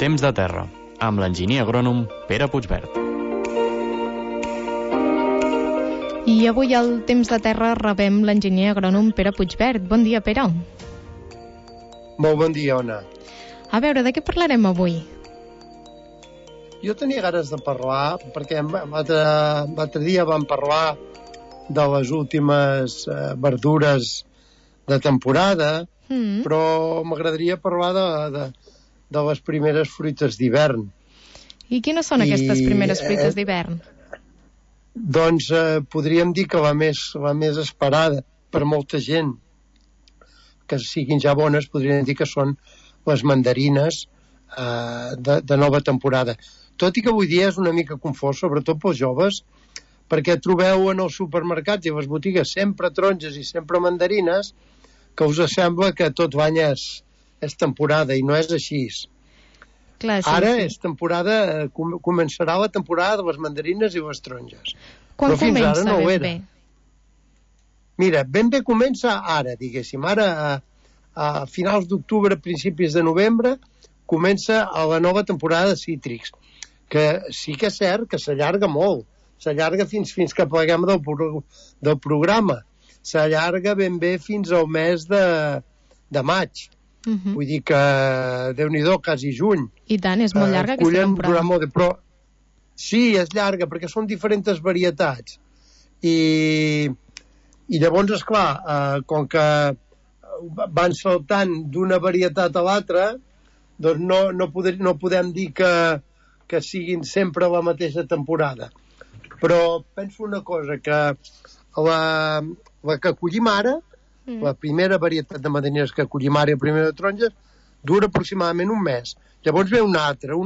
Temps de terra, amb l'enginyer agrònom Pere Puigverd. I avui al Temps de terra rebem l'enginyer agrònom Pere Puigverd. Bon dia, Pere. Molt bon dia, Ona. A veure, de què parlarem avui? Jo tenia ganes de parlar, perquè l'altre dia vam parlar de les últimes verdures de temporada, però m'agradaria parlar de les primeres fruites d'hivern. I quines són aquestes primeres fruites d'hivern? Doncs podríem dir que la més esperada per molta gent, que siguin ja bones, podríem dir que són les mandarines de nova temporada. Tot i que avui dia és una mica confós, sobretot pels joves, perquè trobeu en els supermercats i les botigues sempre taronges i sempre mandarines, que us sembla que tot l'any és temporada, i no és així. Clar, sí, Ara sí. és temporada, començarà la temporada de les mandarines i les taronges. Quan Però fins comença ara no ho ben era. bé? Mira, ben bé comença ara, diguéssim. Ara, a finals d'octubre, principis de novembre, comença la nova temporada de cítrics, que sí que és cert que s'allarga molt. S'allarga fins que pleguem del programa. S'allarga ben bé fins al mes de maig. Vull dir que, Déu-n'hi-do, quasi juny. I tant, és molt llarga aquesta temporada. Però sí, és llarga, perquè són diferents varietats. I llavors, esclar, com que van saltant d'una varietat a l'altra, doncs no podem dir que siguin sempre la mateixa temporada. Però penso una cosa, que la que collim ara, la primera varietat de mandarines que collim ara i la primera de taronges, dura aproximadament un mes. Llavors ve una altra.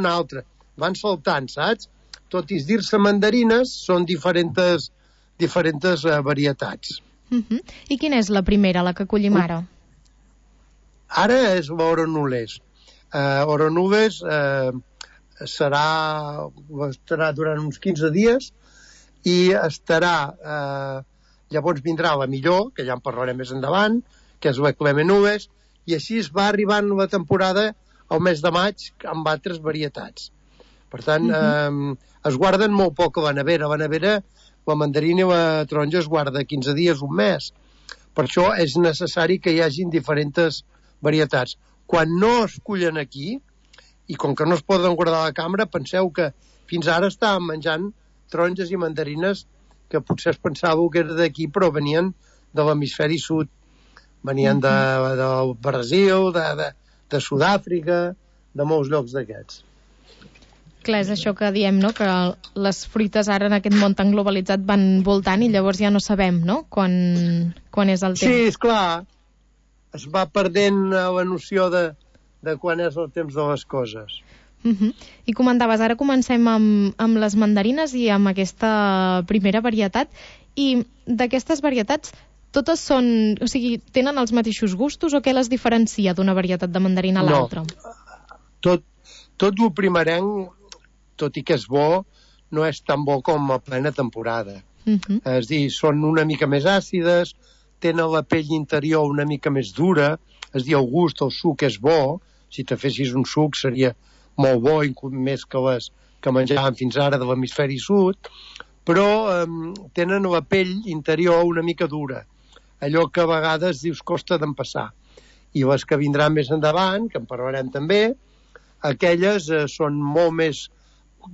Van saltant, saps? Tot i dir-se mandarines, són diferents varietats. I quina és la primera, la que collim ara? Ara és l'Oronules. Oronules estarà durant uns 15 dies i llavors vindrà la millor, que ja en parlarem més endavant, que és la Clemenules, i així es va arribant la temporada al mes de maig amb altres varietats. Per tant, es guarden molt poc a la nevera. La nevera, la mandarina i la taronja es guarda 15 dies, un mes. Per això és necessari que hi hagin diferents varietats. Quan no es cullen aquí, i com que no es poden guardar a la cambra, penseu que fins ara estàvem menjant taronges i mandarines que potser es pensàveu que era d'aquí, però venien de l'hemisferi sud. Venien del Brasil, de Sud-àfrica, de molts llocs d'aquests. Clar, és això que diem, no?, que les fruites ara en aquest món tan globalitzat van voltant i llavors ja no sabem, no?, quan és el temps. Sí, esclar. Es va perdent la noció de quan és el temps de les coses. I comentaves, ara comencem amb les mandarines i amb aquesta primera varietat. I d'aquestes varietats, totes són... O sigui, tenen els mateixos gustos o què les diferencia d'una varietat de mandarina a l'altra? No. Tot el primerenc, tot i que és bo, no és tan bo com a plena temporada. És a dir, són una mica més àcides, tenen la pell interior una mica més dura, és a dir, el gust, el suc és bo. Si te fessis un suc seria molt bo, més que les que menjàvem fins ara de l'hemisferi sud, però tenen la pell interior una mica dura. Allò que a vegades dius costa d'empassar. I les que vindran més endavant, que en parlarem també, aquelles són molt més...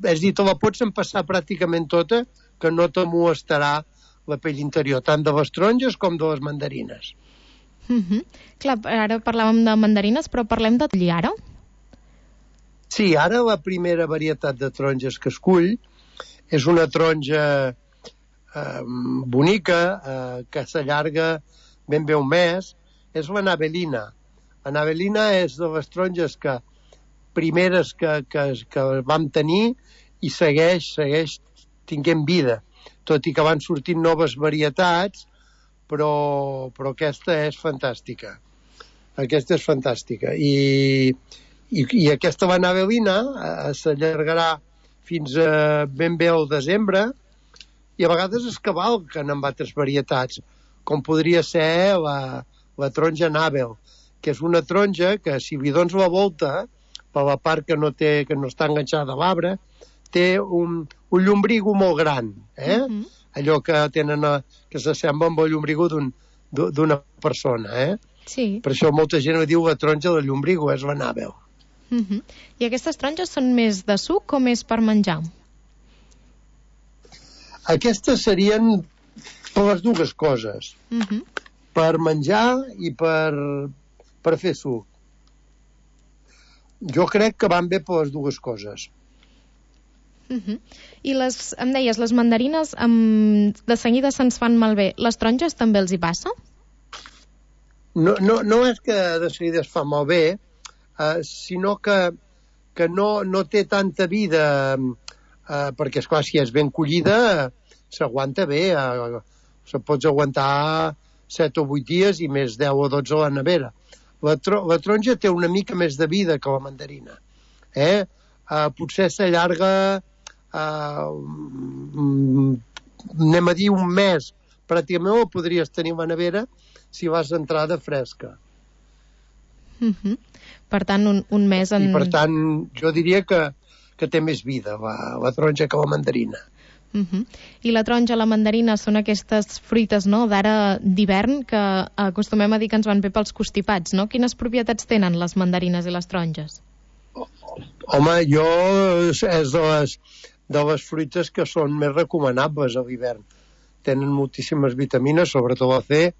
És a dir, te la pots empassar pràcticament tota, que no te molestarà la pell interior, tant de les taronges com de les mandarines. Clar, ara parlàvem de mandarines, però parlem de collir ara? Sí, ara la primera varietat de taronges que es cull és una taronja bonica, que s'allarga ben bé un mes, és la Navelina. La Navelina és de les taronges primeres que vam tenir i segueix tinguent vida, tot i que van sortint noves varietats, però aquesta és fantàstica. Aquesta és fantàstica. I aquesta la Navelina s'allargarà fins ben bé al desembre, i a vegades es cavalquen amb altres varietats, com podria ser la taronja Navel, que és una taronja que, si li dones la volta, per la part que no està enganxada a l'arbre, té un llombrigo molt gran, allò que tenen que s'assembla amb el llombrigo d'una persona, Sí. Per això molta gent diu la taronja del llombrigo, és l'anàbel. I aquestes taronges són més de suc o més per menjar? Aquestes serien per les dues coses. Per menjar i per fer suc. Jo crec que van bé per les dues coses. I em deies, les mandarines de seguida se'ns fan malbé. Les taronges també els hi passa? No és que de seguida es fa malbé, sinó que no té tanta vida, perquè, esclar, si és ben collida, s'aguanta bé. Se pots aguantar 7 o 8 dies i més 10 o 12 a la nevera. La taronja té una mica més de vida que la mandarina. Potser s'allarga, anem a dir, un mes. Pràcticament ho podries tenir a la nevera si vas d'entrada fresca. Per tant, un mes... I per tant, jo diria que té més vida la taronja que la mandarina. I la taronja, la mandarina són aquestes fruites, no?, d'ara d'hivern que acostumem a dir que ens van bé pels constipats, no? Quines propietats tenen les mandarines i les taronges? Home, és de les fruites que són més recomanables a l'hivern. Tenen moltíssimes vitamines, sobretot la C,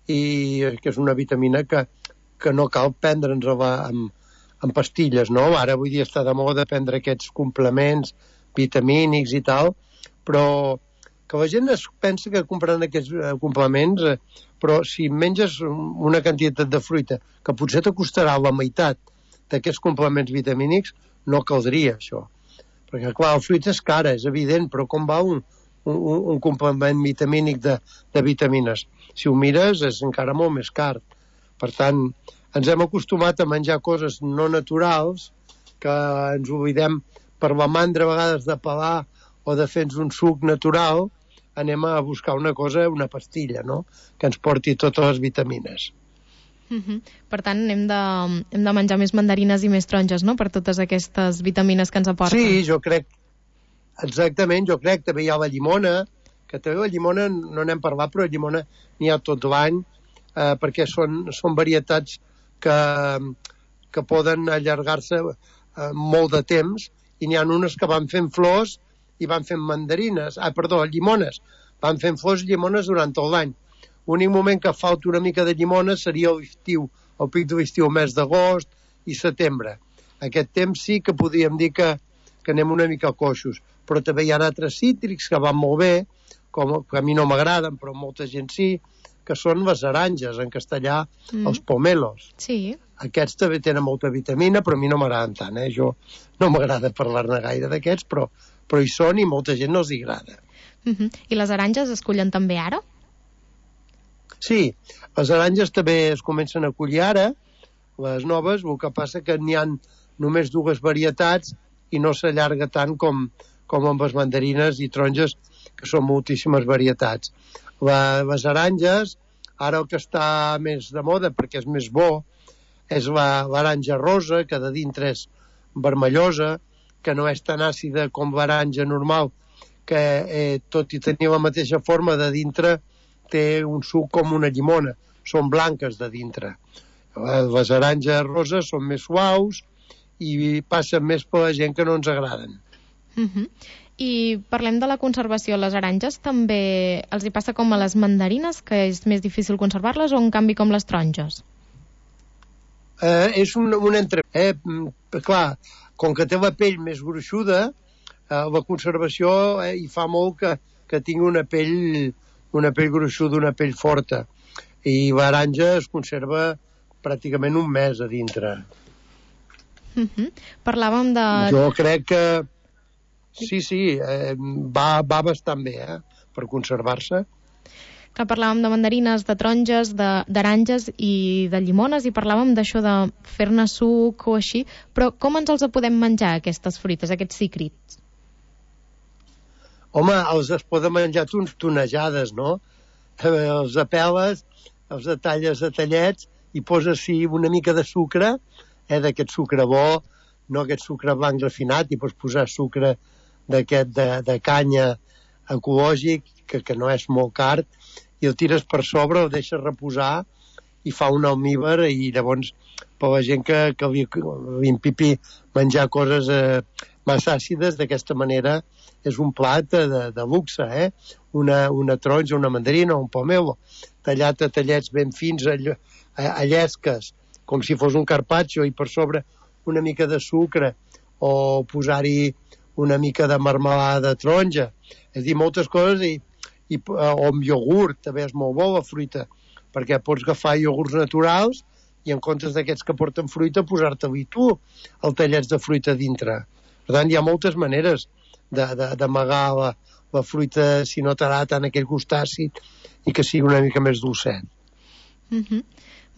i que és una vitamina que no cal prendre'ns en pastilles, no? Ara avui dia està de moda prendre aquests complements vitamínics i tal, però que la gent es pensa que comprant aquests complements, però si menges una quantitat de fruita que potser t'acostarà la meitat d'aquests complements vitamínics, no caldria això. Perquè, clar, la fruita és cara, és evident, però com va un complement vitamínic de vitamines? Si ho mires, és encara molt més car. Per tant, ens hem acostumat a menjar coses no naturals, que ens oblidem per la mandra a vegades de pelar o de fer-nos un suc natural, anem a buscar una cosa, una pastilla, no?, que ens porti totes les vitamines. Per tant, hem de menjar més mandarines i més taronges, no?, per totes aquestes vitamines que ens aporten. Sí, jo crec, exactament, també hi ha la llimona, que també la llimona no n'hem parlat, però la llimona n'hi ha tot l'any, perquè són varietats que poden allargar-se molt de temps, i n'hi ha unes que van fent flors i van fent llimones. Van fent flors i llimones durant tot l'any. L'únic moment que falta una mica de llimones seria l'estiu, el pic de l'estiu, el mes d'agost i setembre. Aquest temps sí que podríem dir que anem una mica coixos, però també hi ha altres cítrics que van molt bé, que a mi no m'agraden, però molta gent sí, que són les aranges, en castellà, els pomelos. Sí. Aquests també tenen molta vitamina, però a mi no m'agraden tant, Jo no m'agrada parlar-ne gaire d'aquests, però hi són i molta gent no els agrada. I les aranges es cullen també ara? Sí, les aranges també es comencen a collir ara, les noves, el que passa que n'hi ha només 2 varietats i no s'allarga tant com amb les mandarines i taronges, que són moltíssimes varietats. Les aranges, ara el que està més de moda, perquè és més bo, és l'aranja rosa, que de dintre és vermellosa, que no és tan àcida com l'aranja normal, que tot i tenir la mateixa forma, de dintre té un suc com una llimona. Són blanques de dintre. Les aranges roses són més suaus i passen més per la gent que no ens agraden. I parlem de la conservació. Les aranges també els hi passa com a les mandarines, que és més difícil conservar-les, o en canvi com les taronges? És un entre... Clar, com que té la pell més gruixuda, la conservació hi fa molt que tingui una pell gruixuda, una pell forta. I l'aranja es conserva pràcticament un mes a dintre. Parlàvem de... Jo crec que sí, va bastant bé, per conservar-se. Que parlàvem de mandarines, de taronges, d'aranges i de llimones, i parlàvem d'això de fer-ne suc o així, però com ens els podem menjar, aquestes fruites, aquests cícrits? Home, els poden menjar tonejades, no? Els apeles, els talles a tallets i poses-hi una mica de sucre, d'aquest sucre bo, no aquest sucre blanc refinat, i pots posar sucre d'aquest de canya ecològic, que no és molt car, i el tires per sobre, el deixes reposar i fa un almíbar, i llavors per la gent que li empipi menjar coses massa àcides, d'aquesta manera és un plat de luxe, una taronja, una mandarina, un pomelo, tallat a tallets ben fins, a llesques, com si fos un carpaccio, i per sobre una mica de sucre, o posar-hi una mica de marmelada de taronja. És a dir, moltes coses, o amb iogurt, també és molt bo la fruita, perquè pots agafar iogurts naturals i en comptes d'aquests que porten fruita, posar-te-li tu els tallets de fruita dintre. Per tant, hi ha moltes maneres d'amagar la fruita si no t'agrada tant aquell gust àcid i que sigui una mica més dolcet.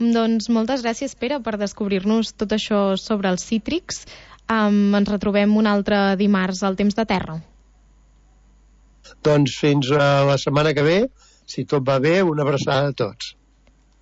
Doncs moltes gràcies, Pere, per descobrir-nos tot això sobre els cítrics. Ens retrobem un altre dimarts al Temps de Terra. Doncs fins a la setmana que ve, si tot va bé, una abraçada a tots.